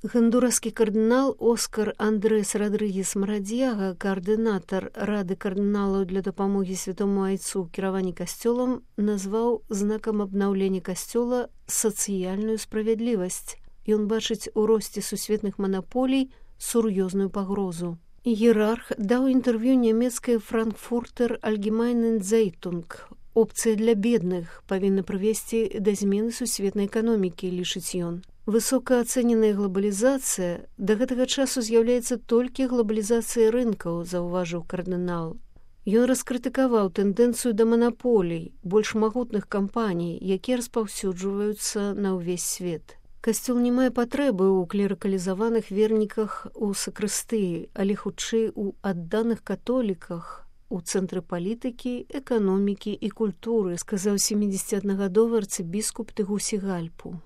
Гондураскі кардынал Оскар Андрес Родригес Марадьяга, коаардынатар Рады кардыналаў для дапамогі святому айцу ў кіраванні касцёлам, назваў знакам абнаўлення касцёла сацыяльную справядлівасць. Ён бачыць у росце сусветных манаполій сур'ёзную пагрозу. Іерарх даў інтэрв'ю нямецкай Frankfurter Allgemeinen Zeitung. Опцыя для бедных павінна прывесці да змены сусветнай эканомікі, лічыць ён. Высокаацэненая глобалізацыя да гэтага часу з'яўляецца толькі глобалізацыяй рынкаў, заўважыў кардынал. Ён раскрытыкаваў тэндэнцыю да манаполій, больш магутных кампаній, якія распаўсюджваюцца на ўвесь свет. Касцёл не мае патрэбы ў клерыкалізаваных верніках у сакрыстыі, але хутчэй у адданых католіках, у цэнтры палітыкі, эканомікі і культуры, сказаў 71-гадовы арцыбіскуп Тэгусі Гальпу.